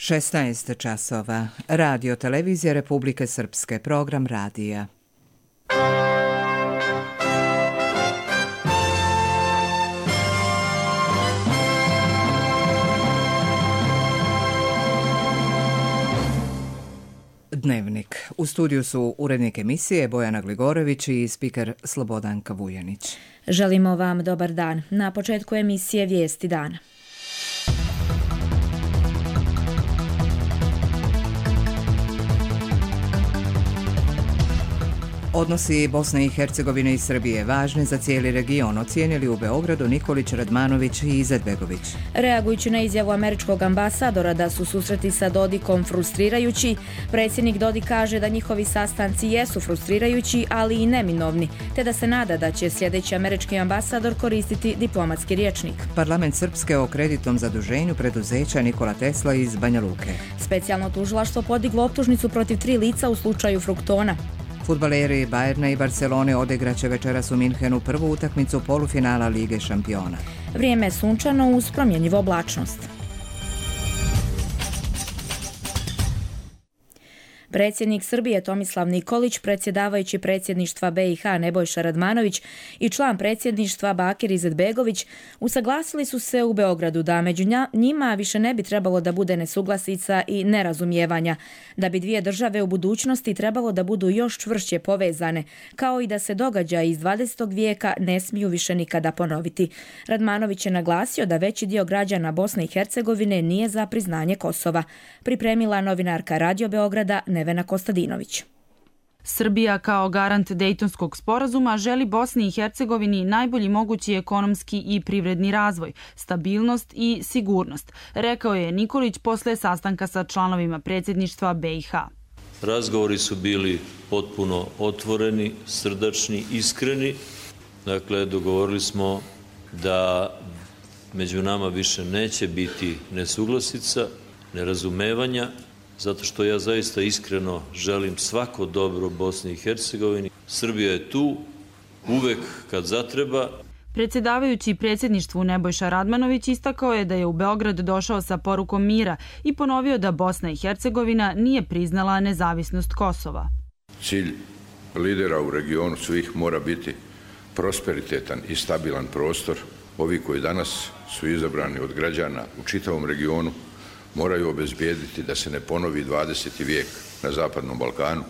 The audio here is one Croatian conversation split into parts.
16 časova. Radio Televizija Republike Srpske. Program radija. Dnevnik. U studiju su urednik emisije Bojana Gligorović i spiker Slobodanka Vujanić. Želimo vam dobar dan. Na početku emisije Vijesti dana. Odnosi Bosne i Hercegovine i Srbije važni za cijeli region, ocijenili u Beogradu Nikolić, Radmanović i Izetbegović. Reagujući na izjavu američkog ambasadora da su susreti sa Dodikom frustrirajući, predsjednik Dodik kaže da njihovi sastanci jesu frustrirajući, ali i neminovni, te da se nada da će sljedeći američki ambasador koristiti diplomatski rječnik. Parlament Srpske o kreditnom zaduženju preduzeća Nikola Tesla iz Banja Luke. Specijalno tužilaštvo podiglo optužnicu protiv 3 lica u slučaju Fruktona. Fudbaleri Bajerna i Barcelone odigraće večeras u Minhenu prvu utakmicu polufinala Lige šampiona. Vrijeme je sunčano uz promjenjivu oblačnost. Predsjednik Srbije Tomislav Nikolić, predsjedavajući predsjedništva BiH Nebojša Radmanović i član predsjedništva Bakir Izetbegović usaglasili su se u Beogradu da među njima više ne bi trebalo da bude nesuglasica i nerazumijevanja, da bi dvije države u budućnosti trebalo da budu još čvršće povezane, kao i da se događaji iz 20. vijeka ne smiju više nikada ponoviti. Radmanović je naglasio da veći dio građana Bosne i Hercegovine nije za priznanje Kosova. Pripremila novinarka Radio Beograda Nevena Kostadinović. Srbija kao garant Dejtonskog sporazuma želi Bosni i Hercegovini najbolji mogući ekonomski i privredni razvoj, stabilnost i sigurnost, rekao je Nikolić posle sastanka sa članovima predsjedništva BiH. Razgovori su bili potpuno otvoreni, srdačni, iskreni. Dakle, dogovorili smo da među nama više neće biti nesuglasica, nerazumevanja, zato što ja zaista iskreno želim svako dobro Bosni i Hercegovini. Srbija je tu uvek kad zatreba. Predsjedavajući predsjedništvu Nebojša Radmanović istakao je da je u Beograd došao sa porukom mira i ponovio da Bosna i Hercegovina nije priznala nezavisnost Kosova. Cilj lidera u regionu svih mora biti prosperitetan i stabilan prostor. Ovi koji danas su izabrani od građana u čitavom regionu moraju obezbijediti da se ne ponovi 20. vijek na Zapadnom Balkanu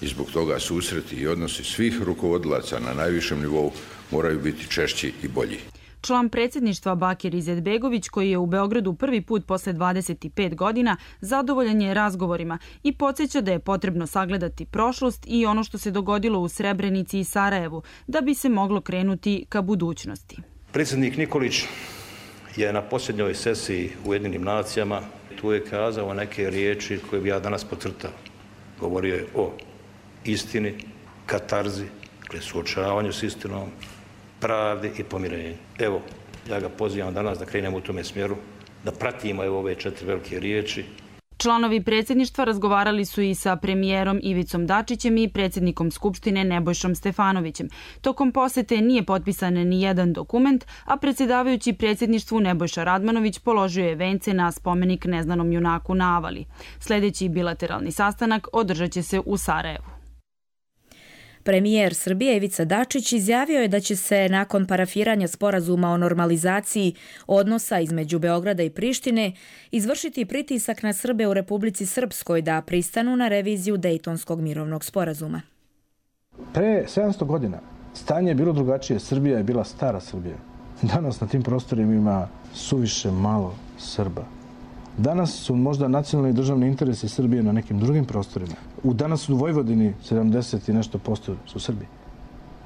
i zbog toga susreti i odnosi svih rukovodilaca na najvišem nivou moraju biti češći i bolji. Član predsjedništva Bakir Izetbegović, koji je u Beogradu prvi put posle 25 godina, zadovoljan je razgovorima i podsjeća da je potrebno sagledati prošlost i ono što se dogodilo u Srebrenici i Sarajevu, da bi se moglo krenuti ka budućnosti. Predsjednik Nikolić je na posljednjoj sesiji u Ujedinjenim nacijama tu je kazao neke riječi koje bi ja danas podcrtao. Govorio je o istini, katarzi, suočavanju s istinom, pravdi i pomirenju. Evo, ja ga pozivam danas da krenemo u tome smjeru, da pratimo ove 4 velike riječi. Članovi predsjedništva razgovarali su i sa premijerom Ivicom Dačićem i predsjednikom Skupštine Nebojšom Stefanovićem. Tokom posete nije potpisan ni jedan dokument, a predsjedavajući predsjedništvu Nebojša Radmanović položio je vence na spomenik neznanom junaku na Avali. Sljedeći bilateralni sastanak održat će se u Sarajevu. Premijer Srbije Ivica Dačić izjavio je da će se nakon parafiranja sporazuma o normalizaciji odnosa između Beograda i Prištine izvršiti pritisak na Srbe u Republici Srpskoj da pristanu na reviziju Dejtonskog mirovnog sporazuma. Pre 700 godina stanje je bilo drugačije. Srbija je bila stara Srbija. Danas na tim prostorima ima suviše malo Srba. Danas su možda nacionalni i državni interesi Srbije na nekim drugim prostorima. Danas u Vojvodini 70 i nešto posto su Srbi.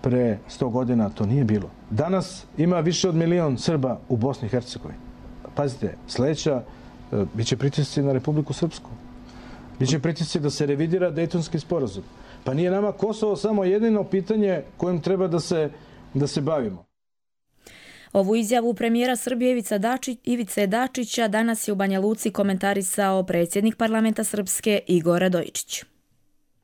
Pre 100 godina to nije bilo. Danas ima više od 1 milion Srba u Bosni i Hercegovini. Pazite, sljedeća biće pritisci na Republiku Srpsku. Biće pritisci da se revidira Dejtonski sporazum. Pa nije nama Kosovo samo jedino pitanje kojim treba da se bavimo. Ovu izjavu premijera Srbije Ivice Dačića danas je u Banja Luci komentarisao predsjednik parlamenta Srpske Igor Radojičić.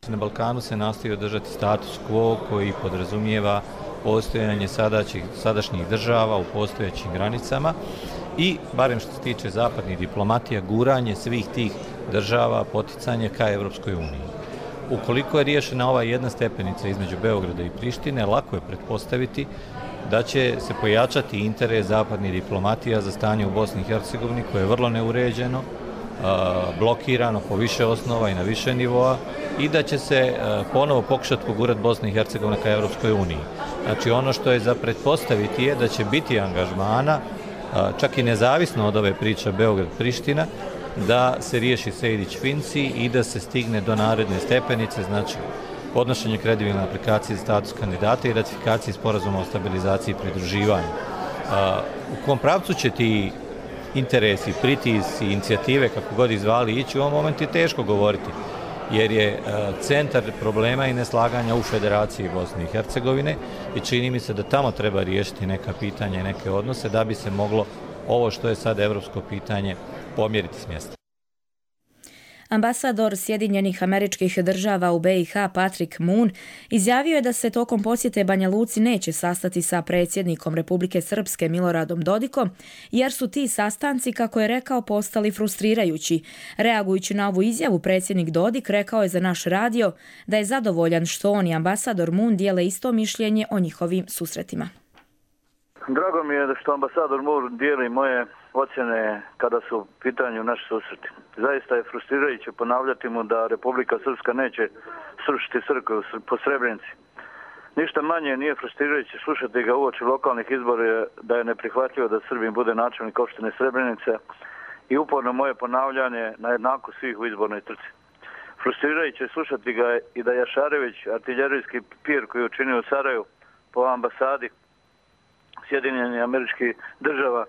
Na Balkanu se nastoji održati status quo koji podrazumijeva postojanje sadašnjih država u postojećim granicama i, barem što se tiče zapadnih diplomatija, guranje svih tih država, poticanje ka Evropskoj uniji. Ukoliko je riješena ova jedna stepenica između Beograda i Prištine, lako je pretpostaviti da će se pojačati interes zapadnih diplomatija za stanje u Bosni i Hercegovini, koje je vrlo neuređeno, blokirano po više osnova i na više nivoa, i da će se ponovo pokušati pogurati Bosna i Hercegovina ka Evropskoj uniji. Znači, ono što je za pretpostaviti je da će biti angažmana, čak i nezavisno od ove priče Beograd-Priština, da se riješi Sejdić-Finci i da se stigne do naredne stepenice, znači podnošenje kredibilne aplikacije za status kandidata i ratifikacije sporazuma o stabilizaciji i pridruživanju. U kom pravcu će ti interesi, pritisci, inicijative, kako god ih zvali, ići, u ovom momentu je teško govoriti, jer je centar problema i neslaganja u Federaciji Bosne i Hercegovine i čini mi se da tamo treba riješiti neka pitanja i neke odnose da bi se moglo ovo što je sad evropsko pitanje pomjeriti s mjesta. Ambasador Sjedinjenih Američkih Država u BiH Patrick Moon izjavio je da se tokom posjete Banja Luci neće sastati sa predsjednikom Republike Srpske Miloradom Dodikom, jer su ti sastanci, kako je rekao, postali frustrirajući. Reagujući na ovu izjavu, predsjednik Dodik rekao je za naš radio da je zadovoljan što on i ambasador Moon dijele isto mišljenje o njihovim susretima. Drago mi je što ambasador Moon dijeli moje ocjene kada su u pitanju naši susreti. Zaista je frustrirajuće ponavljati mu da Republika Srpska neće srušiti crkvu po Srebrenici. Ništa manje nije frustrirajuće slušati ga uoči lokalnih izbora da je neprihvatljivo da Srbin bude načelnik opštine Srebrenica i uporno moje ponavljanje na jednaku svih u izbornoj trci. Frustrirajuće je slušati ga i da Jašarević, artiljerijski pir koji je učinio u Sarajevu po ambasadi Sjedinjenih Američkih Država,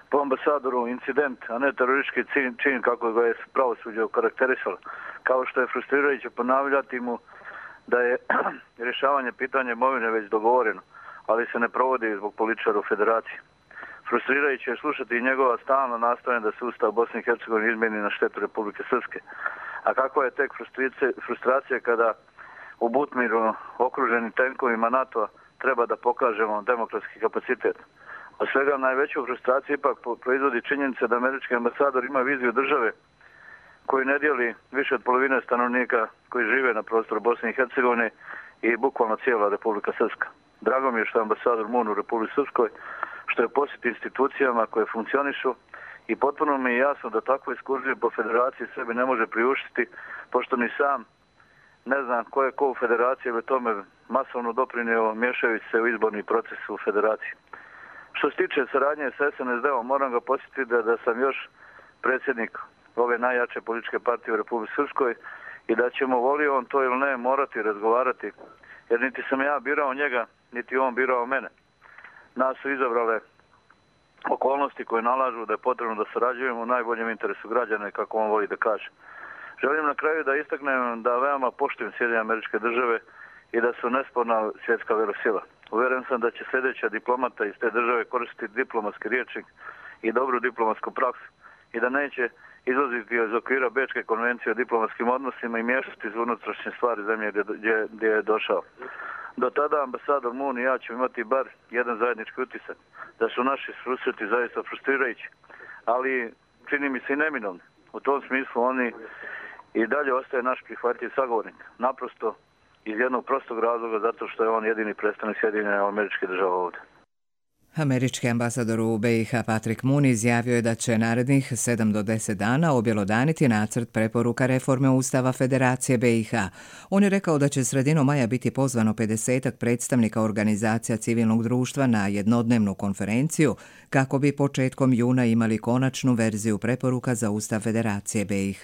po ambasadoru incident, a ne teroristički čin kako ga je pravosuđe okarakterisalo. Kao što je frustrirajuće ponavljati mu da je rješavanje pitanja imovine već dogovoreno, ali se ne provodi zbog političara u Federaciji. Frustrirajuće je slušati i njegova stalna nastojanja da se Ustav Bosne i Hercegovine izmjeni na štetu Republike Srpske. A kakva je tek frustracija kada u Butmiru okruženi tenkovima NATO-a treba da pokažemo demokratski kapacitet. Od svega najveću frustraciju ipak proizvodi činjenica da američki ambasador ima viziju države koju ne dijeli više od polovine stanovnika koji žive na prostoru Bosne i Hercegovine i bukvalno cijela Republika Srpska. Drago mi je što je ambasador Moon u Republici Srpskoj, što je posjeti institucijama koje funkcionišu i potpuno mi je jasno da takvo ekskurzije po Federaciji sebi ne može priuštiti, pošto ni sam ne znam ko je ko u Federaciji, jer tome masovno doprinio miješajući se u izborni proces u Federaciji. Što se tiče saradnje s SNSD-om, moram ga podsjetiti da sam još predsjednik ove najjače političke partije u Republici Srpskoj i da ćemo, volio on to ili ne, morati razgovarati, jer niti sam ja birao njega, niti on birao mene. Nas su izabrale okolnosti koje nalažu da je potrebno da sarađujemo u najboljem interesu građana, kako on voli da kaže. Želim na kraju da istaknem da veoma poštujem Sjedinjene Američke Države i da su nesporna svjetska velesila. Uvjeren sam da će sljedeća diplomata iz te države koristiti diplomatski rječnik i dobru diplomatsku praksu i da neće izlaziti iz okvira Bečke konvencije o diplomatskim odnosima i miješati iz unutrašnje stvari zemlje gdje je došao. Do tada ambasador Moon i ja ćemo imati bar jedan zajednički utisak da su naši susreti zaista frustrirajući, ali čini mi se i neminovni. U tom smislu oni i dalje ostaje naš prihvatljiv sagovornik. Naprosto iz jednog prostog razloga, zato što je on jedini predstavnik Sjedinjenih Američkih Država ovdje. Američki ambasador u BiH Patrick Moon izjavio je da će narednih 7 do 10 dana objelodaniti nacrt preporuka reforme Ustava Federacije BiH. On je rekao da će sredinom maja biti pozvano 50 predstavnika organizacija civilnog društva na jednodnevnu konferenciju kako bi početkom juna imali konačnu verziju preporuka za Ustav Federacije BiH.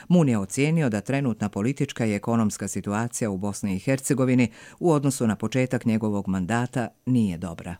Moon je ocijenio da trenutna politička i ekonomska situacija u Bosni i Hercegovini u odnosu na početak njegovog mandata nije dobra.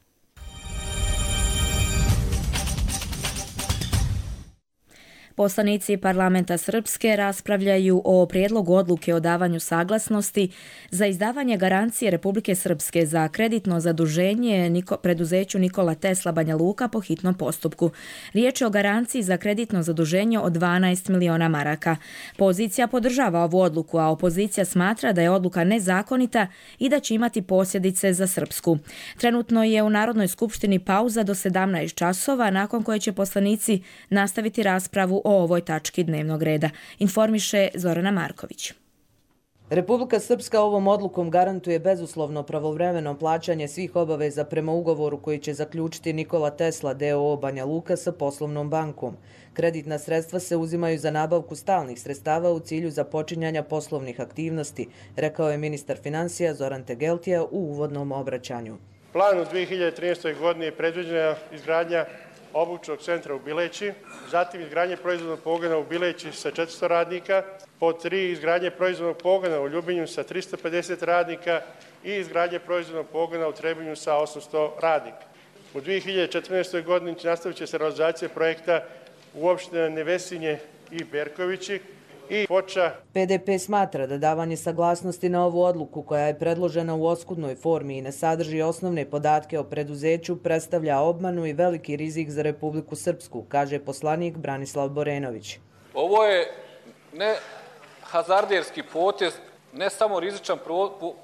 Poslanici parlamenta Srpske raspravljaju o prijedlogu odluke o davanju saglasnosti za izdavanje garancije Republike Srpske za kreditno zaduženje preduzeću Nikola Tesla Banja Luka po hitnom postupku. Riječ je o garanciji za kreditno zaduženje od 12 miliona maraka. Pozicija podržava ovu odluku, a opozicija smatra da je odluka nezakonita i da će imati posljedice za Srpsku. Trenutno je u Narodnoj skupštini pauza do 17 časova, nakon koje će poslanici nastaviti raspravu o ovoj tački dnevnog reda, informiše Zorana Marković. Republika Srpska ovom odlukom garantuje bezuslovno pravovremeno plaćanje svih obaveza prema ugovoru koji će zaključiti Nikola Tesla d.o.o. Banja Luka sa poslovnom bankom. Kreditna sredstva se uzimaju za nabavku stalnih sredstava u cilju započinjanja poslovnih aktivnosti, rekao je ministar financija Zoran Tegeltija u uvodnom obraćanju. Plan u 2013. godini je predviđena izgradnja obučnog centra u Bileći, zatim izgradnje proizvodnog pogona u Bileći sa 400 radnika, pod 3 izgradnje proizvodnog pogona u Ljubinju sa 350 radnika i izgradnje proizvodnog pogona u Trebinju sa 800 radnika. U 2014. godini nastavit će se realizacija projekta u opštinama Nevesinje i Berkovići i Foča. PDP smatra da davanje saglasnosti na ovu odluku, koja je predložena u oskudnoj formi i ne sadrži osnovne podatke o preduzeću, predstavlja obmanu i veliki rizik za Republiku Srpsku, kaže poslanik Branislav Borenović. Ovo je ne hazarderski potez, ne samo rizičan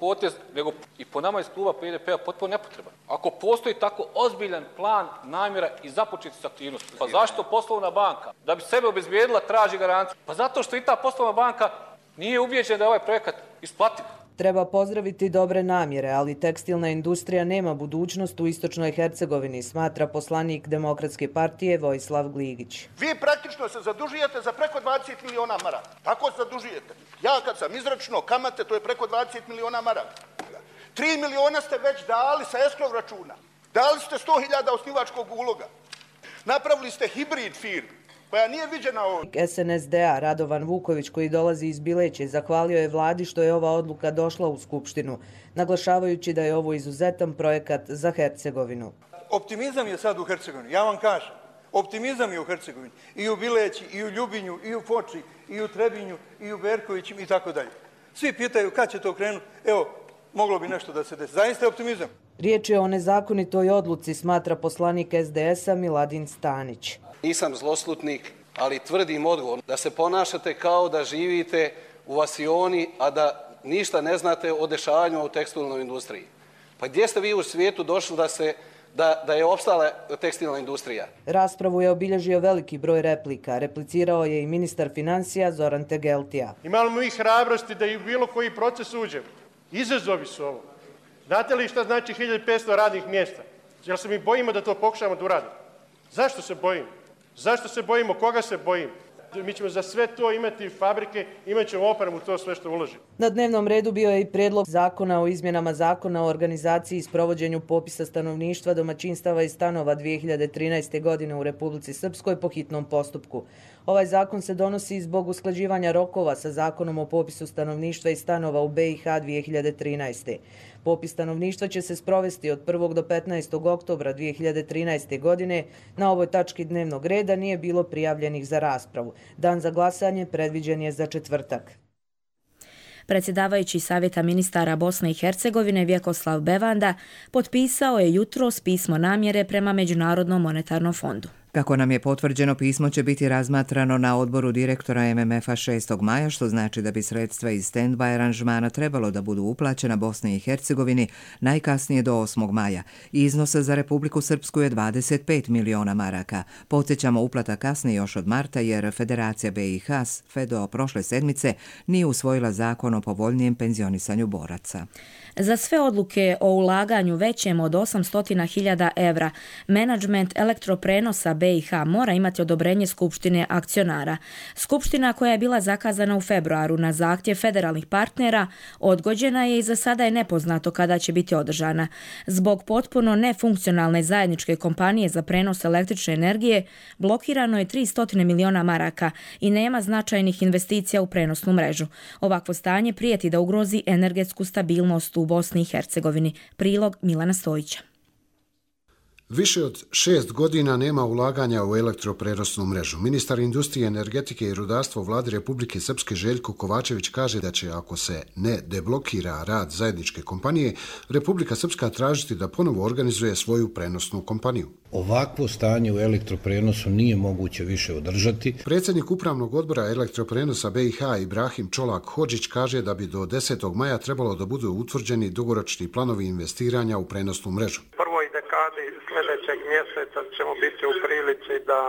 potez, nego i po nama iz kluba PDP-a potpuno nepotreban. Ako postoji tako ozbiljan plan, namjera i započeti s aktivnosti, pa zašto poslovna banka, da bi sebe obezbijedila, traži garanciju? Pa zato što i ta poslovna banka nije ubijeđena da je ovaj projekat isplativ. Treba pozdraviti dobre namjere, ali tekstilna industrija nema budućnost u istočnoj Hercegovini, smatra poslanik Demokratske partije Vojislav Gligić. Vi praktično se zadužujete za preko 20 miliona maraka. Tako se zadužujete. Ja kad sam izračunao kamate, to je preko 20 miliona maraka. 3 miliona ste već dali sa eskrov računa. Dali ste 100.000 osnivačkog uloga. Napravili ste hibrid firmu koja nije viđena ovdje. SNSD-a Radovan Vuković, koji dolazi iz Bileće, zahvalio je vladi što je ova odluka došla u Skupštinu, naglašavajući da je ovo izuzetan projekat za Hercegovinu. Optimizam je sad u Hercegovini, ja vam kažem. Optimizam je u Hercegovini. I u Bileći, i u Ljubinju, i u Foči, i u Trebinju, i u Berkovićim i tako dalje. Svi pitaju kad će to krenuti. Evo, moglo bi nešto da se desi. Zaista je optimizam. Riječ je o nezakonitoj odluci, smatra poslanik SDS-a Miladin Stanić. Nisam zloslutnik, ali tvrdim odgovorno da se ponašate kao da živite u vasioni, a da ništa ne znate o dešavanjima u tekstilnoj industriji. Pa gdje ste vi u svijetu došli da je opstala tekstilna industrija? Raspravu je obilježio veliki broj replika. Replicirao je i ministar financija Zoran Tegeltija. Imamo mi hrabrosti da i u bilo koji proces uđemo. Izazovi su ovo. Znate li šta znači 1500 radnih mjesta? Jel se mi bojimo da to pokušamo da uradimo? Zašto se bojimo? Zašto se bojimo? Koga se bojimo? Mi ćemo za sve to imati fabrike, imat ćemo opremu, to sve što uložimo. Na dnevnom redu bio je i prijedlog zakona o izmjenama zakona o organizaciji i sprovođenju popisa stanovništva, domaćinstava i stanova 2013. godine u Republici Srpskoj po hitnom postupku. Ovaj zakon se donosi zbog usklađivanja rokova sa zakonom o popisu stanovništva i stanova u BiH 2013. Popis stanovništva će se sprovesti od 1. do 15. oktobra 2013. godine. Na ovoj tački dnevnog reda nije bilo prijavljenih za raspravu. Dan za glasanje predviđen je za četvrtak. Predsjedavajući Savjeta ministara Bosne i Hercegovine Vjekoslav Bevanda potpisao je jutros pismo namjere prema Međunarodnom monetarnom fondu. Kako nam je potvrđeno, pismo će biti razmatrano na odboru direktora MMF-a 6. maja, što znači da bi sredstva iz stand-by aranžmana trebalo da budu uplaćena Bosni i Hercegovini najkasnije do 8. maja. Iznos za Republiku Srpsku je 25 miliona maraka. Podsjećamo, uplata kasni još od marta jer Federacija BiH do prošle sedmice nije usvojila zakon o povoljnijem penzionisanju boraca. Za sve odluke o ulaganju većem od 800.000 evra, menadžment elektroprenosa BiH mora imati odobrenje Skupštine akcionara. Skupština, koja je bila zakazana u februaru na zahtjev federalnih partnera, odgođena je i za sada je nepoznato kada će biti održana. Zbog potpuno nefunkcionalne zajedničke kompanije za prenos električne energije blokirano je 300 miliona maraka i nema značajnih investicija u prenosnu mrežu. Ovakvo stanje prijeti da ugrozi energetsku stabilnost u Bosni i Hercegovini. Prilog Milana Stojića. Više od 6 godina nema ulaganja u elektroprenosnu mrežu. Ministar industrije, energetike i rudarstva u vladi Republike Srpske Željko Kovačević kaže da će, ako se ne deblokira rad zajedničke kompanije, Republika Srpska tražiti da ponovo organizuje svoju prenosnu kompaniju. Ovakvo stanje u elektroprenosu nije moguće više održati. Predsjednik Upravnog odbora elektroprenosa BiH Ibrahim Čolak Hodžić kaže da bi do 10. maja trebalo da budu utvrđeni dugoročni planovi investiranja u prenosnu mrežu. Sljedećeg mjeseca ćemo biti u prilici da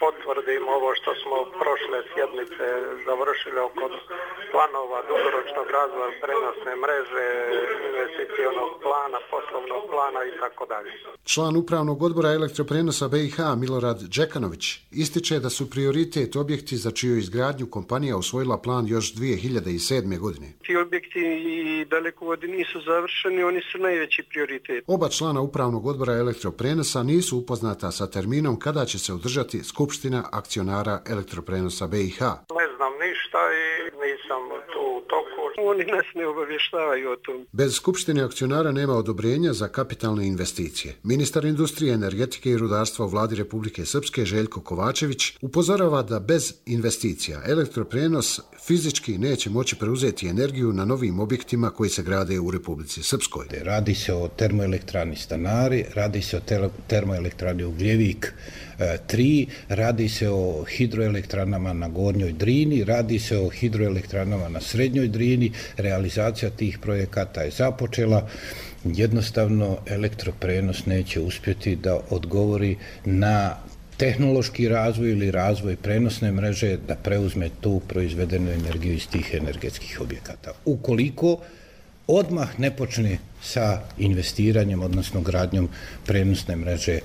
potvrdimo ovo što smo prošle sjednice završili oko planova dugoročnog razvoja prenosne mreže, investicionog plana, poslovnog plana i tako dalje. Član Upravnog odbora elektroprenosa BiH Milorad Đekanović ističe da su prioritet objekti za čiju izgradnju kompanija usvojila plan još 2007. godine. Ti objekti i dalekovodi nisu završeni, oni su najveći prioritet. Oba člana Upravnog odbora elektroprenosa nisu upoznata sa terminom kada će se održati Skupština akcionara elektroprenosa BiH. Ne znam ništa i nisam tu u toku. Oni nas ne obavještavaju o tom. Bez Skupštine akcionara nema odobrenja za kapitalne investicije. Ministar industrije, energetike i rudarstva u vladi Republike Srpske Željko Kovačević upozorava da bez investicija elektroprenos fizički neće moći preuzeti energiju na novim objektima koji se grade u Republici Srpskoj. Radi se o termoelektrani Stanari, radi se o termoelektrani Ugljevik 3, radi se o hidroelektranama na Gornjoj Drini, radi se o hidroelektranama na Srednjoj Drini. Realizacija tih projekata je započela. Jednostavno elektroprenos neće uspjeti da odgovori na tehnološki razvoj ili razvoj prenosne mreže, da preuzme tu proizvedenu energiju iz tih energetskih objekata. Ukoliko odmah ne počne sa investiranjem, odnosno gradnjom prenosne mreže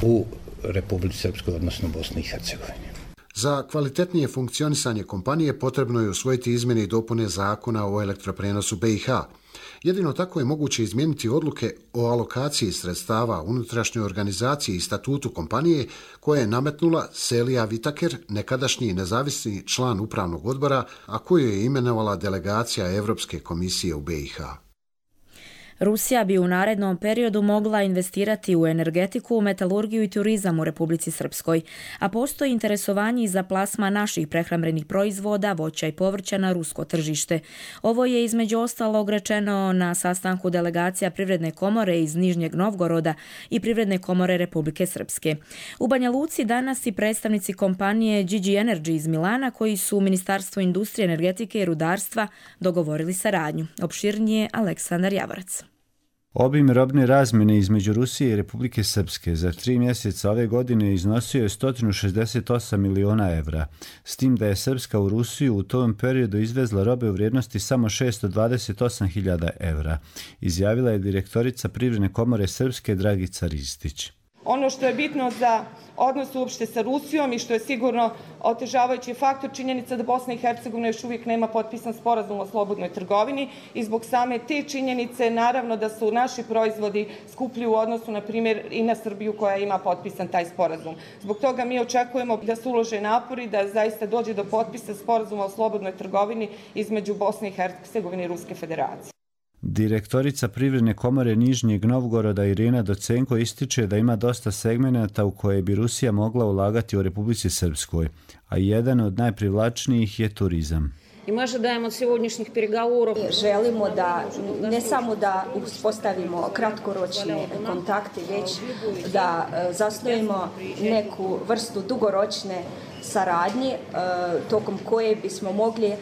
u Republici Srpskoj, odnosno Bosni i Hercegovini. Za kvalitetnije funkcionisanje kompanije potrebno je usvojiti izmjene i dopune zakona o elektroprenosu BiH. Jedino tako je moguće izmijeniti odluke o alokaciji sredstava, unutrašnjoj organizaciji i statutu kompanije koje je nametnula Selija Vitaker, nekadašnji nezavisni član Upravnog odbora, a koju je imenovala delegacija Evropske komisije u BiH. Rusija bi u narednom periodu mogla investirati u energetiku, metalurgiju i turizam u Republici Srpskoj, a postoji interesovanje i za plasman naših prehrambenih proizvoda, voća i povrća na rusko tržište. Ovo je između ostalog rečeno na sastanku delegacija Privredne komore iz Nižnjeg Novgoroda i Privredne komore Republike Srpske. U Banja Luci danas i predstavnici kompanije GG Energy iz Milana koji su u Ministarstvu industrije, energetike i rudarstva dogovorili saradnju. Opširnije Aleksandar Javorac. Obim robne razmjene između Rusije i Republike Srpske za 3 mjeseca ove godine iznosio je 168 miliona evra, s tim da je Srpska u Rusiju u tom periodu izvezla robe u vrijednosti samo 628.000 evra, izjavila je direktorica Privredne komore Srpske Dragica Ristić. Ono što je bitno za odnos uopšte sa Rusijom i što je sigurno otežavajući faktor činjenica da Bosna i Hercegovina još uvijek nema potpisan sporazum o slobodnoj trgovini i zbog same te činjenice naravno da su naši proizvodi skuplji u odnosu na primjer i na Srbiju koja ima potpisan taj sporazum. Zbog toga mi očekujemo da se ulože napori da zaista dođe do potpisa sporazuma o slobodnoj trgovini između Bosne i Hercegovine i Ruske federacije. Direktorica Privredne komore Nižnjeg Novgoroda Irina Docenko ističe da ima dosta segmenata u koje bi Rusija mogla ulagati u Republici Srpskoj, a jedan od najprivlačnijih je turizam. I mi ожидаем od сегодняшних переговоров. Želimo da ne samo da uspostavimo kratkoročne kontakte, već da zasnujemo neku vrstu dugoročne saradnje tokom koje bismo mogli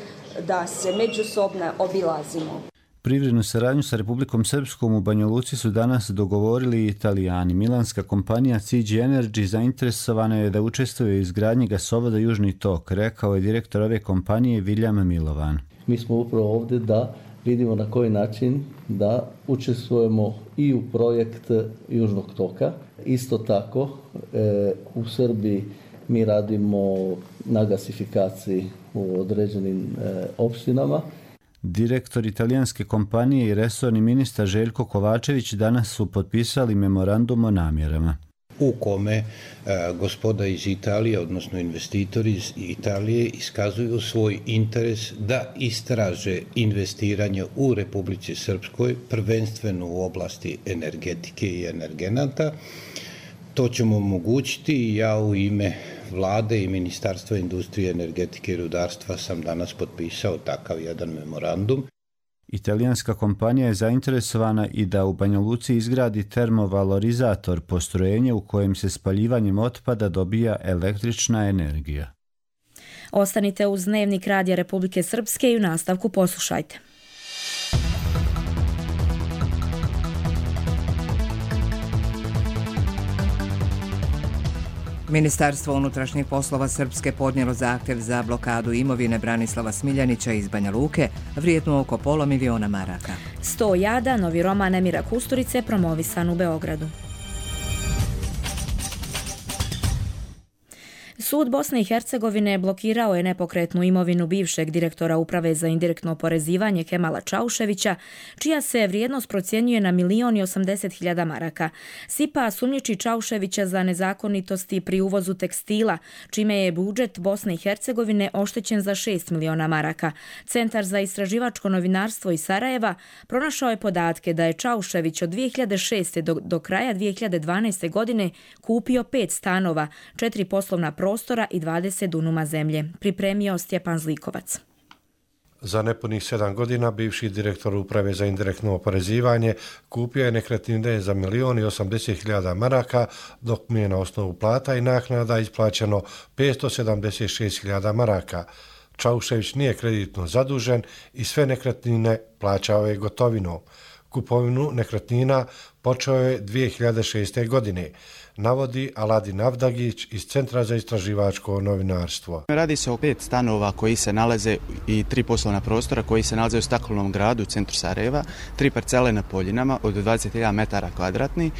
da se međusobno obilazimo. Privrednu saradnju sa Republikom Srpskom u Banja Luci su danas dogovorili i Italijani. Milanska kompanija CG Energy zainteresovana je da učestvuje u izgradnji gasovoda Južni tok, rekao je direktor ove kompanije Viljam Milovan. Mi smo upravo ovdje da vidimo na koji način da učestvujemo i u projekt Južnog toka. Isto tako u Srbiji mi radimo na gasifikaciji u određenim opštinama. Direktor italijanske kompanije i resorni ministar Željko Kovačević danas su potpisali memorandum o namjerama. u kome gospoda iz Italije, odnosno investitori iz Italije, iskazuju svoj interes da istraže investiranje u Republici Srpskoj, prvenstveno u oblasti energetike i energenata. To ćemo omogućiti i ja u ime Vlade i Ministarstva industrije, energetike i rudarstva sam danas potpisao takav jedan memorandum. Italijanska kompanija je zainteresovana i da u Banja Luci izgradi termovalorizator, postrojenje u kojem se spaljivanjem otpada dobija električna energija. Ostanite uz Dnevnik Radija Republike Srpske i u nastavku poslušajte. Ministarstvo unutrašnjih poslova Srpske podnijelo zahtjev za blokadu imovine Branislava Smiljanića iz Banja Luke, vrijednu oko $500.000 maraka. 100 jada, novi roman Emira Kusturice, promovisan u Beogradu. Sud Bosne i Hercegovine blokirao je nepokretnu imovinu bivšeg direktora Uprave za indirektno oporezivanje Kemala Čauševića, čija se vrijednost procjenjuje na 1.080.000 maraka. Sipa sumnjiči Čauševića za nezakonitosti pri uvozu tekstila, čime je budžet Bosne i Hercegovine oštećen za 6 miliona maraka. Centar za istraživačko novinarstvo iz Sarajeva pronašao je podatke da je Čaušević od 2006. do kraja 2012. godine kupio 5 stanova, 4 poslovna prostora i 20 dunuma zemlje. Pripremio Stjepan Zlikovac. Za nepunih 7 godina bivši direktor Uprave za indirektno oporezivanje kupio je nekretnine za 1.080.000 maraka, dok mu je na osnovu plata i naknada isplaćeno 576.000 maraka. Čaušević nije kreditno zadužen i sve nekretnine plaćao je gotovinom. Kupovinu nekretnina počeo je 2006. godine, navodi Aladin Avdagić iz Centra za istraživačko novinarstvo. Radi se o 5 stanova koji se nalaze i 3 poslovna prostora koji se nalaze u Staklenom gradu u centru Sarajeva, 3 parcele na Poljinama od 21 metara kvadratni,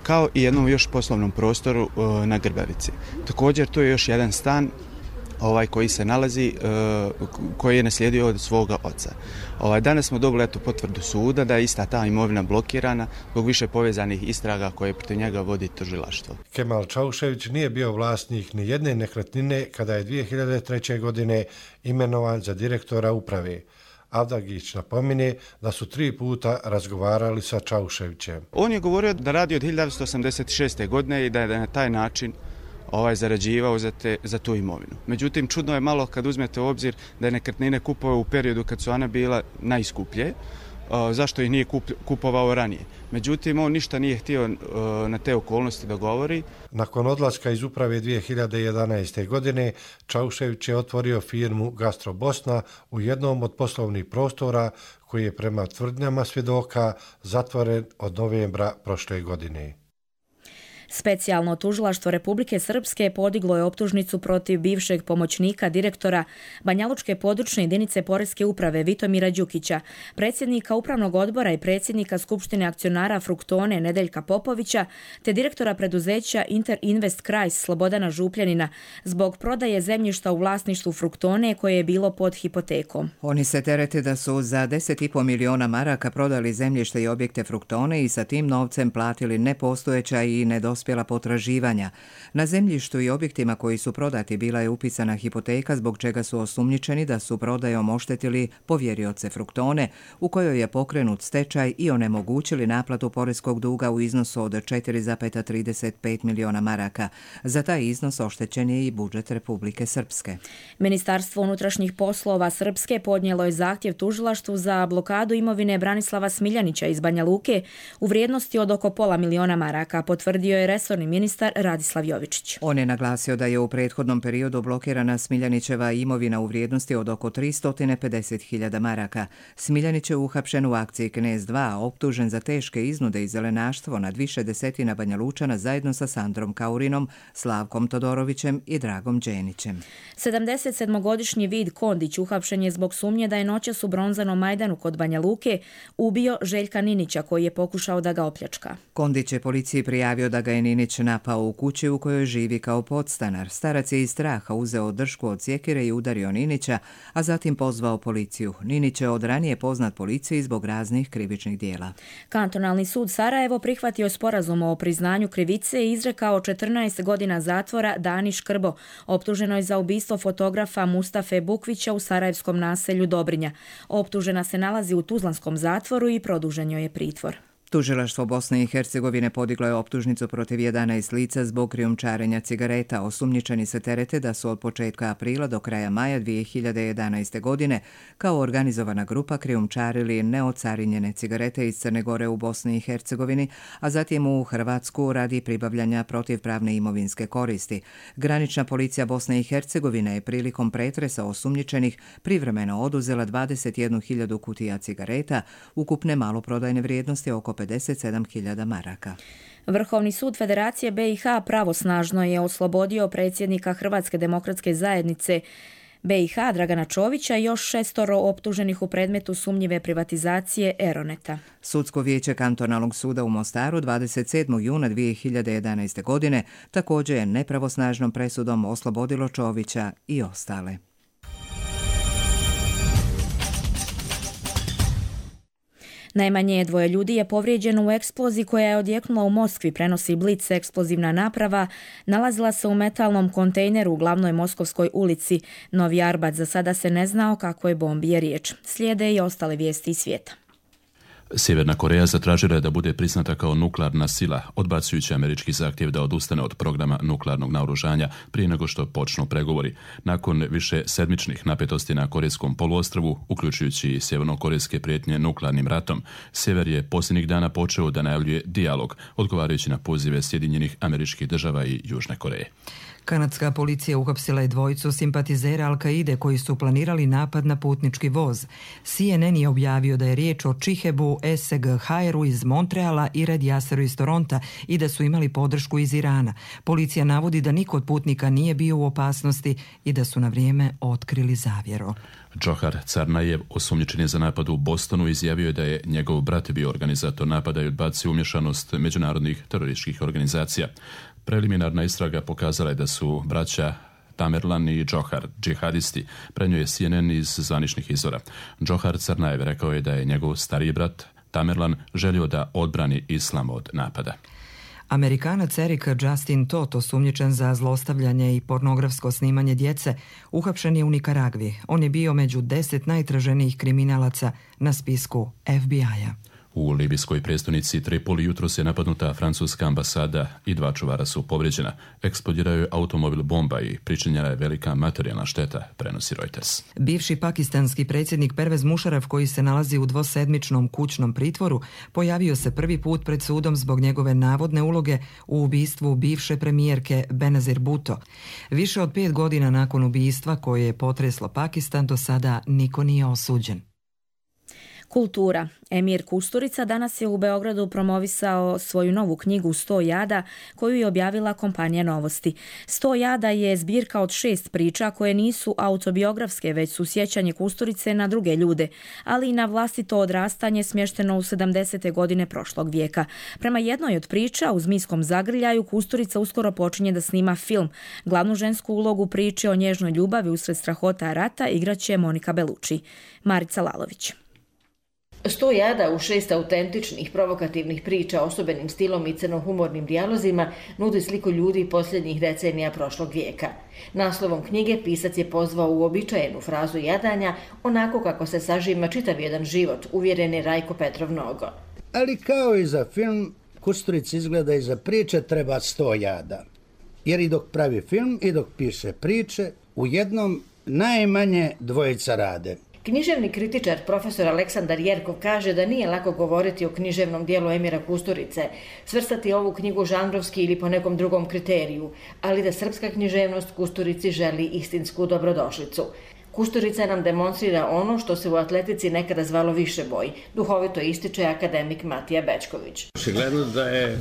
kao i jednom još poslovnom prostoru na Grbavici. Također tu je još jedan stan koji se nalazi, koji je naslijedio od svoga oca. Danas smo dobili potvrdu suda da je ista ta imovina blokirana zbog više povezanih istraga koje protiv njega vodi tužilaštvo. Kemal Čaušević nije bio vlasnik ni jedne nekretnine kada je 2003. godine imenovan za direktora uprave. Avdagić napominje da su 3 puta razgovarali sa Čauševićem. On je govorio da radi od 1986. godine i da je na taj način zarađivao za tu imovinu. Međutim, čudno je malo kad uzmete u obzir da je nekretnine kupovao u periodu kad su ona bila najskuplje, zašto ih nije kupovao ranije. Međutim, on ništa nije htio na te okolnosti da govori. Nakon odlaska iz uprave 2011. godine, Čaušević je otvorio firmu Gastro Bosna u jednom od poslovnih prostora koji je prema tvrdnjama svjedoka zatvoren od novembra prošle godine. Specijalno tužilaštvo Republike Srpske podiglo je optužnicu protiv bivšeg pomoćnika direktora Banjalučke područne jedinice Poreske uprave Vitomira Đukića, predsjednika upravnog odbora i predsjednika Skupštine akcionara Fruktone Nedeljka Popovića, te direktora preduzeća Interinvest Krajs Slobodana Župljanina zbog prodaje zemljišta u vlasništvu Fruktone koje je bilo pod hipotekom. Oni se terete da su za 10,5 miliona maraka prodali zemljište i objekte Fruktone i sa tim novcem platili nepostojeća i nedospjela potraživanja. Na zemljištu i objektima koji su prodati bila je upisana hipoteka zbog čega su osumnjičeni da su prodajom oštetili povjerioce Fruktone u kojoj je pokrenut stečaj i onemogućili naplatu poreskog duga u iznosu od 4,35 miliona maraka. Za taj iznos oštećen je i budžet Republike Srpske. Ministarstvo unutrašnjih poslova Srpske podnijelo je zahtjev tužilaštvu za blokadu imovine Branislava Smiljanića iz Banja Luke u vrijednosti od oko $500.000 maraka, potvrdio je resorni ministar Radislav Jovičić. On je naglasio da je u prethodnom periodu blokirana Smiljanićeva imovina u vrijednosti od oko 350.000 maraka. Smiljanić je uhapšen u akciji Knez 2, optužen za teške iznude i zelenaštvo nad više desetina Banja Lučana zajedno sa Sandrom Kaurinom, Slavkom Todorovićem i Dragom Đenićem. 77-godišnji Vid Kondić uhapšen je zbog sumnje da je noćas u Bronzanom Majdanu kod Banja Luke ubio Željka Ninića koji je pokušao da ga opljačka. Kondić je policiji prijavio da ga je je Ninić napao u kući u kojoj živi kao podstanar. Starac je iz straha uzeo dršku od sjekire i udario Ninića, a zatim pozvao policiju. Ninić je od ranije poznat policiji zbog raznih krivičnih dijela. Kantonalni sud Sarajevo prihvatio sporazum o priznanju krivice i izrekao 14 godina zatvora Dani Škrbo, optuženoj za ubistvo fotografa Mustafe Bukvića u sarajevskom naselju Dobrinja. Optužena se nalazi u tuzlanskom zatvoru i produžen joj je pritvor. Tužilaštvo Bosne i Hercegovine podiglo je optužnicu protiv 11 lica zbog krijumčarenja cigareta. Osumnjičeni se terete da su od početka aprila do kraja maja 2011. godine kao organizovana grupa krijumčarili neocarinjene cigarete iz Crne Gore u Bosni i Hercegovini, a zatim u Hrvatsku radi pribavljanja protivpravne imovinske koristi. Granična policija Bosne i Hercegovine je prilikom pretresa osumnjičenih privremeno oduzela 21.000 kutija cigareta, ukupne maloprodajne vrijednosti oko 57.000 maraka. Vrhovni sud Federacije BiH pravosnažno je oslobodio predsjednika Hrvatske demokratske zajednice BiH Dragana Čovića i još 6 optuženih u predmetu sumnjive privatizacije Eroneta. Sudsko vijeće kantonalnog suda u Mostaru 27. juna 2011. godine također je nepravosnažnom presudom oslobodilo Čovića i ostale. Najmanje 2 ljudi je povrijeđeno u eksploziji koja je odjeknula u Moskvi, prenosi Blic. Eksplozivna naprava nalazila se u metalnom kontejneru u glavnoj moskovskoj ulici Novi Arbat. Za sada se ne zna o kakvoj bombi je riječ. Slijede i ostale vijesti iz svijeta. Sjeverna Koreja zatražila je da bude priznata kao nuklearna sila, odbacujući američki zahtjev da odustane od programa nuklearnog naoružanja prije nego što počnu pregovori. Nakon više sedmičnih napetosti na Korejskom poluostrvu, uključujući i sjevernokorejske prijetnje nuklearnim ratom, Sjever je posljednjih dana počeo da najavljuje dijalog, odgovarajući na pozive Sjedinjenih Američkih Država i Južne Koreje. Kanadska policija uhapsila je dvojicu simpatizera Al-Kaide koji su planirali napad na putnički voz. CNN je objavio da je riječ o Chihebu Esseg-Hairu iz Montreala i Red Yasseru iz Toronta i da su imali podršku iz Irana. Policija navodi da niko od putnika nije bio u opasnosti i da su na vrijeme otkrili zavjero. Džohar Carnajev, osumnjičen je za napad u Bostonu, izjavio je da je njegov brat bio organizator napada i odbacio umješanost međunarodnih terorističkih organizacija. Preliminarna istraga pokazala je da su braća Tamerlan i Džohar džihadisti, prenio je CNN iz zvaničnih izvora. Džohar Carnajev rekao je da je njegov stariji brat Tamerlan želio da odbrani islam od napada. Amerikanac Eric Justin Todt, osumnjičen za zlostavljanje i pornografsko snimanje djece, uhapšen je u Nikaragvi. On je bio među 10 najtraženijih kriminalaca na spisku FBI-a. U libijskoj prijestolnici Tripoli jutros je napadnuta francuska ambasada i 2 čuvara su povrijeđena. Eksplodirao je automobil bomba i pričinjena je velika materijalna šteta, prenosi Reuters. Bivši pakistanski predsjednik Pervez Musharraf, koji se nalazi u dvosedmičnom kućnom pritvoru, pojavio se prvi put pred sudom zbog njegove navodne uloge u ubistvu bivše premijerke Benazir Bhutto. Više od 5 godina nakon ubijstva koje je potreslo Pakistan, do sada niko nije osuđen. Kultura. Emir Kusturica danas je u Beogradu promovisao svoju novu knjigu 100 jada koju je objavila kompanija Novosti. 100 jada je zbirka od 6 priča koje nisu autobiografske, već su sjećanje Kusturice na druge ljude, ali i na vlastito odrastanje smješteno u 70. godine prošlog vijeka. Prema jednoj od priča, u Zmijskom zagrljaju, Kusturica uskoro počinje da snima film. Glavnu žensku ulogu priče o nježnoj ljubavi usred strahota rata igraće Monika Belucci. Marica Lalović. 100 jada u 6 autentičnih, provokativnih priča osobenim stilom i crnohumornim dijalozima nudi sliku ljudi posljednjih decenija prošlog vijeka. Naslovom knjige pisac je pozvao uobičajenu frazu jadanja, onako kako se sažima čitav jedan život, uvjeren je Rajko Petrov Nogo. Ali kao i za film, Kusturici izgleda i za priče treba 100 jada. Jer i dok pravi film i dok piše priče, u jednom najmanje dvojica rade. Književni kritičar profesor Aleksandar Jerkov kaže da nije lako govoriti o književnom dijelu Emira Kusturice, svrstati ovu knjigu žanrovski ili po nekom drugom kriteriju, ali da srpska književnost Kusturici želi istinsku dobrodošlicu. Kusturica nam demonstrira ono što se u atletici nekada zvalo višeboj, duhovito ističe akademik Matija Bečković. Očigledno da je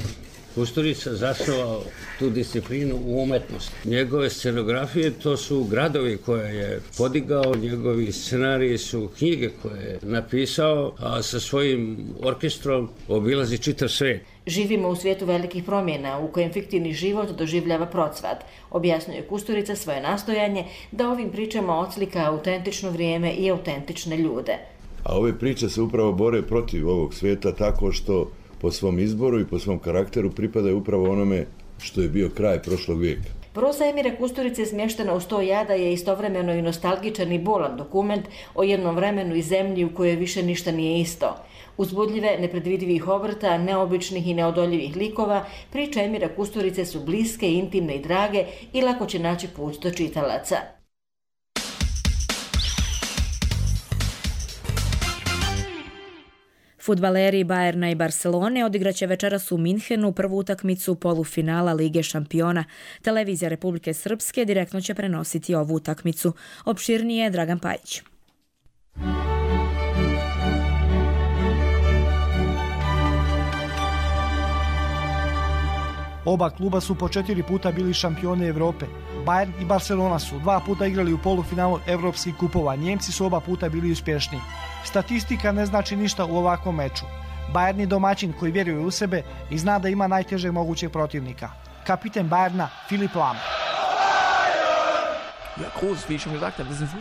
Kusturica zasnovao tu disciplinu u umetnosti. Njegove scenografije to su gradovi koje je podigao, njegovi scenariji su knjige koje je napisao, a sa svojim orkestrom obilazi čitav svijet. Živimo u svijetu velikih promjena u kojem fiktivni život doživljava procvat, objasnjuje Kusturica svoje nastojanje da ovim pričama odslika autentično vrijeme i autentične ljude. A ove priče se upravo bore protiv ovog svijeta tako što po svom izboru i po svom karakteru pripadaju upravo onome što je bio kraj prošlog vijeka. Proza Emira Kusturice smještena u 100 jada je istovremeno i nostalgičan i bolan dokument o jednom vremenu i zemlji u kojoj više ništa nije isto. Uzbudljive, nepredvidivih obrta, neobičnih i neodoljivih likova, priče Emira Kusturice su bliske, intimne i drage i lako će naći put do čitalaca. Fudbaleri Bayerna i Barcelone odigraće večeras u Minhenu prvu utakmicu polufinala Lige šampiona. Televizija Republike Srpske direktno će prenositi ovu utakmicu. Opširnije Dragan Pajić. Oba kluba su po 4 puta bili šampioni Evrope. Bayern i Barcelona su 2 puta igrali u polufinalu evropskih kupova. Njemci su oba puta bili uspješni. Statistika ne znači ništa u ovakvom meču. Bayern je domaćin koji vjeruje u sebe i zna da ima najtežeg mogućeg protivnika. Kapiten Bayerna Filip Lam.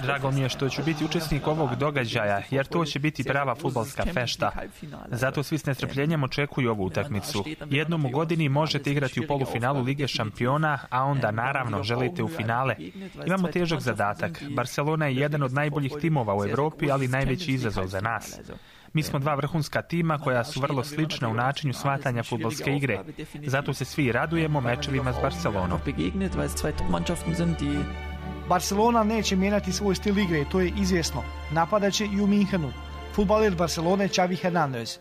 Drago mi je što ću biti učesnik ovog događaja, jer to će biti prava fudbalska fešta. Zato svi s nestrpljenjem očekuju ovu utakmicu. Jednom u godini možete igrati u polufinalu Lige šampiona, a onda naravno želite u finale. Imamo težak zadatak. Barcelona je jedan od najboljih timova u Europi, ali najveći izazov za nas. Mi smo 2 vrhunska tima koja su vrlo slična u načinu shvatanja fudbalske igre. Zato se svi radujemo mečevima s Barcelonom. Barcelona neće mijenjati svoj stil igre i to je izvjesno. Napadaće i u Minhenu. Futbaler Barcelone Xavi Hernández.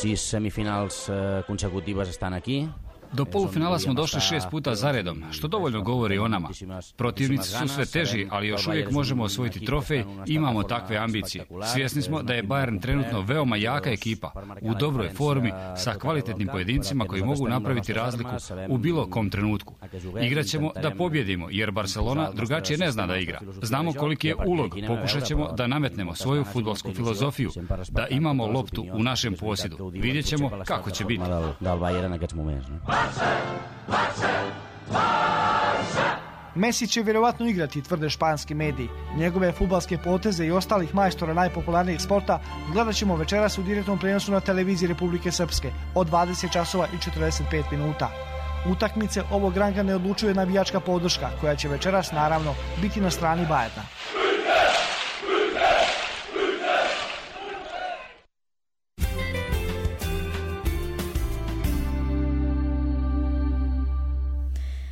6 semifinals consecutives estan aquí. Do polufinala smo došli 6 puta zaredom, što dovoljno govori o nama. Protivnici su sve teži, ali još uvijek možemo osvojiti trofej i imamo takve ambicije. Svjesni smo da je Bayern trenutno veoma jaka ekipa, u dobroj formi, sa kvalitetnim pojedincima koji mogu napraviti razliku u bilo kom trenutku. Igraćemo da pobjedimo, jer Barcelona drugačije ne zna da igra. Znamo koliki je ulog, pokušat ćemo da nametnemo svoju fudbalsku filozofiju, da imamo loptu u našem posjedu. Vidjet ćemo kako će biti. Messi će vjerovatno igrati, tvrde španski mediji. Njegove fudbalske poteze i ostalih majstora najpopularnijeg sporta gledat ćemo večeras u direktnom prijenosu na televiziji Republike Srpske od 20 časova i 45 minuta. Utakmice ovog ranga ne odlučuje navijačka podrška, koja će večeras naravno biti na strani Bayerna.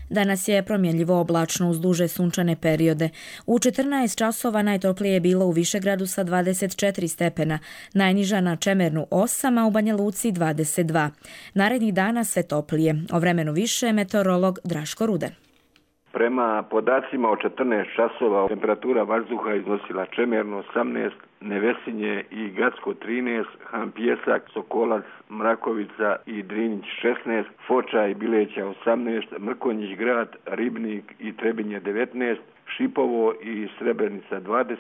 Danas je promjenljivo oblačno uz duže sunčane periode. U 14 časova najtoplije je bilo u Višegradu sa 24 stepena, najniža na Čemernu 8, a u Banja Luci 22. Narednih dana sve toplije. O vremenu više meteorolog Draško Ruden. Prema podacima od 14 časova temperatura vazduha iznosila Čemerno 18, Nevesinje i Gacko 13, Han Pjesak, Sokolac, Mrakovica i Drinić 16, Foča i Bileća 18, Mrkonjić grad, Ribnik i Trebinje 19, Šipovo i Srebrenica 20,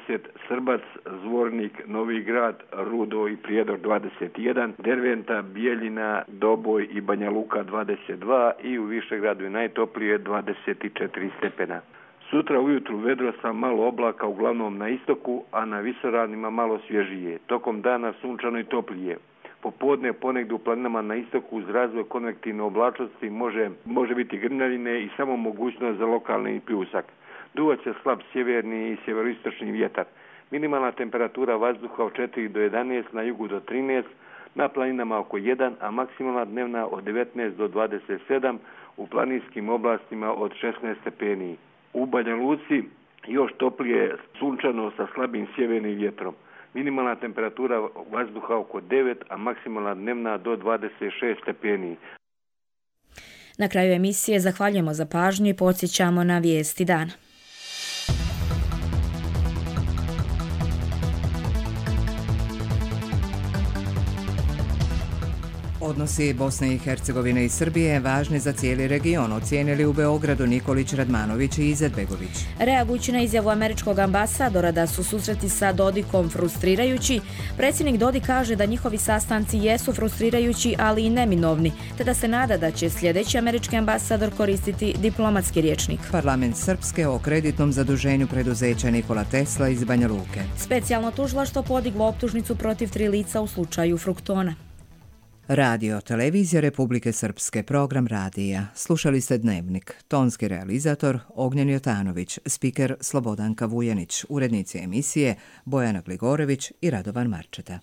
Srbac, Zvornik, Novi grad, Rudo i Prijedor 21, Derventa, Bijeljina, Doboj i Banja Luka 22 i u Višegradu je najtoplije 24 stepena. Sutra ujutru vedro sa malo oblaka uglavnom na istoku, a na visoravnima malo svježije. Tokom dana sunčano i toplije. Popodne ponegdje u planinama na istoku uz razvoj konvektivne oblačnosti može biti grmljavine i samo mogućnost za lokalni pljusak. Duvat će slab sjeverni i sjeveroistočni vjetar. Minimalna temperatura vazduha od 4 do 11, na jugu do 13, na planinama oko 1, a maksimalna dnevna od 19 do 27, u planinskim oblastima od 16 stepeni. U Banja Luci još toplije sunčano sa slabim sjevernim vjetrom. Minimalna temperatura vazduha oko 9, a maksimalna dnevna do 26 stepeni. Na kraju emisije zahvaljujemo za pažnju i podsjećamo na vijesti dana. Odnosi Bosne i Hercegovine i Srbije važni za cijeli region, ocijenili u Beogradu Nikolić, Radmanović i Izetbegović. Reagujući na izjavu američkog ambasadora da su susreti sa Dodikom frustrirajući, predsjednik Dodik kaže da njihovi sastanci jesu frustrirajući, ali i neminovni, te da se nada da će sljedeći američki ambasador koristiti diplomatski rječnik. Parlament Srpske o kreditnom zaduženju preduzeća Nikola Tesla iz Banja Luke. Specijalno tužilaštvo podiglo optužnicu protiv 3 lica u slučaju Fruktona. Radio, televizija Republike Srpske, program radija. Slušali ste Dnevnik. Tonski realizator Ognjen Jotanović, spiker Slobodanka Vujanić, urednici emisije Bojana Gligorević i Radovan Marčeta.